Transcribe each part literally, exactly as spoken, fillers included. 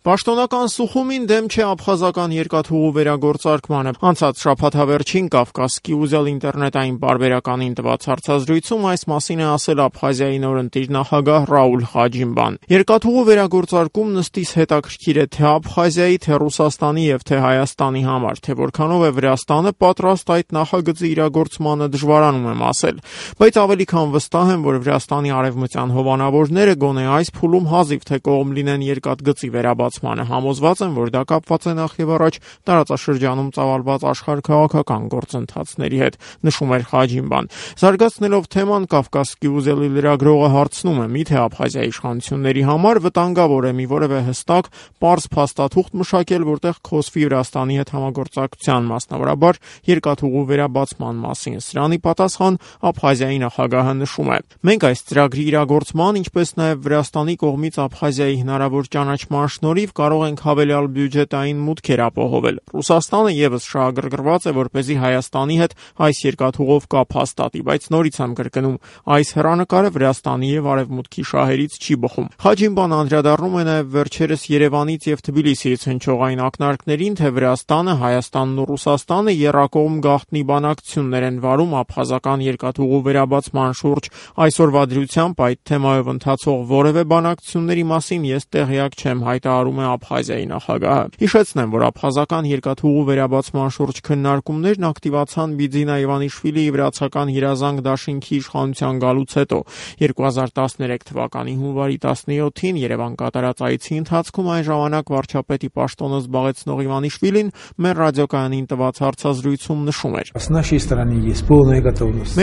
Պաշտոնական Սուխումին դեմ չէ աբխազական երկաթուղու վերագործարկմանը։ Անցած շաբաթավերջին Կովկասկի ուզել ինտերնետային պարբերականին տված հարցազրույցում այս մասին է ասել Աբխազիայի նոր ընտիր նախագահ Ռաուլ Խաջիմբան։ Երկաթուղու վերագործարկումն ըստիս հետաքրքիր է թե Աբխազիայի, թե Ռուսաստանի եւ թե Հայաստանի համար, թե որքանով է Վրաստանը պատրաստ այդ նախագծի իրագործմանը դժվարանում եմ ասել, բայց ավելի քան վստահ եմ, որ Վրաստանի արևմտյան հովանավորները գոնե այս փուլում հազիվ թե կողմ լինեն երկաթգծի վերաբացմանը, համոզված եմ, որ դա կապված է նախ եւ առաջ տարածաշրջանում ծավալված աշխարհաքաղաքական գործընթացների հետ, նշում էր Խաջիմբան։ Զարգացնելով թեման, Կովկասկի ուզելի լրագրողը հարցնում է՝ միթե Աբխազիայի իշխանությունների համար վտանգավոր է մի որևէ հստակ, պարզ փաստաթուղթ մշակել, որտեղ խոսվի Վրաստանի հետ համագործակցության, մասնավորաբար երկաթուղու վերաբացման մասին։ Սրանի պատասխան Աբխազիայի նախագահը նշում է. Մենք այս ծրագրի իրագործման, ինչպես նաև Վրաստանի կողմից Աբխազիայի հնարավոր ճանաչման շնորհիվ կարող ենք հավելյալ բյուջետային մուտքեր ապահովել։ Ռուսաստանը եւս շահագրգռված է, որպեսզի Հայաստանի հետ այս երկաթուղով կապ հաստատի, բայց նորից եմ կրկնում, այս հեռանկարը Վրաստանի եւ Արևմուտքի շահերից չի բխում։ Խաջիմբան անդրադառնում է նաև վերջերս Երևանից եւ Թբիլիսիից հնչող այն ակնարկներին, թե Վրաստանը, Հայաստանն ու Ռուսաստանը եռակողմ գաղտնի բանակցություններ են վարում աբխազական երկաթուղու վերաբացման շուրջ։ Այսօրվա դրությամբ այդ թեմայով ընթացող որևէ բանակցությունների մասին ես տեղյակ չեմ, հայտարարում է Աբխազիայի նախագահը։ Հիշեցնեմ, որ աբխազական երկաթուղու վերաբացման շուրջ քննարկումներն ակտիվացան Բիձինա Իվանիշվիլիի վրացական երազանք դաշինքի իշխանության գալուց հետո։ երկու հազար տասներեք թվականի հունվարի տասնյոթին Երևան կատարած այցի ընթացքում այն ժամանակ վարչապետի պաշտոնը զբաղեցնող Իվանիշվիլին մեր ռադիոկայանին տված հարցազրույցում նշում էր.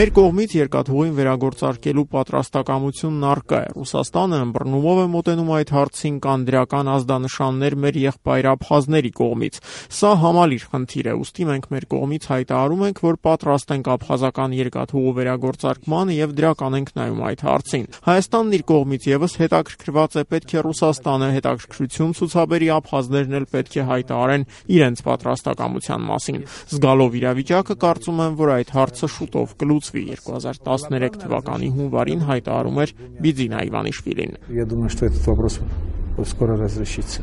Մեր կողմից երկաթուղին վերագործարկելու պատրաստակամությունն առկա է։ Ռուսաստանը ըմբռնումով է մոտենում այդ հարցին, կան դրական ազդանշաններ մեր եղբայր աբխազների կողմից։ Սա համալիր խնդիր է, ուստի մենք մեր կողմից հայտարարում ենք, որ պատրաստ ենք աբխազական երկաթուղու վերագործարկմանը եւ դրական ենք նայում այդ հարցին։ Հայաստանն իր կողմից եւս հետաքրքրված է, պետք է Ռուսաստանը հետաքրքրություն ցուցաբերի, աբխազներն էլ պետք է հայտարարեն իրենց պատրաստակամության մասին։ Զգալով իրավիճակը, կարծում եմ, որ այդ հարցը շուտով կլուծվի, երկու հազար տասներեք թվականի հունվարին հայտարարում էր Բիձինա Իվանիշվիլին։ Я думаю, что этот вопрос скоро разрешится.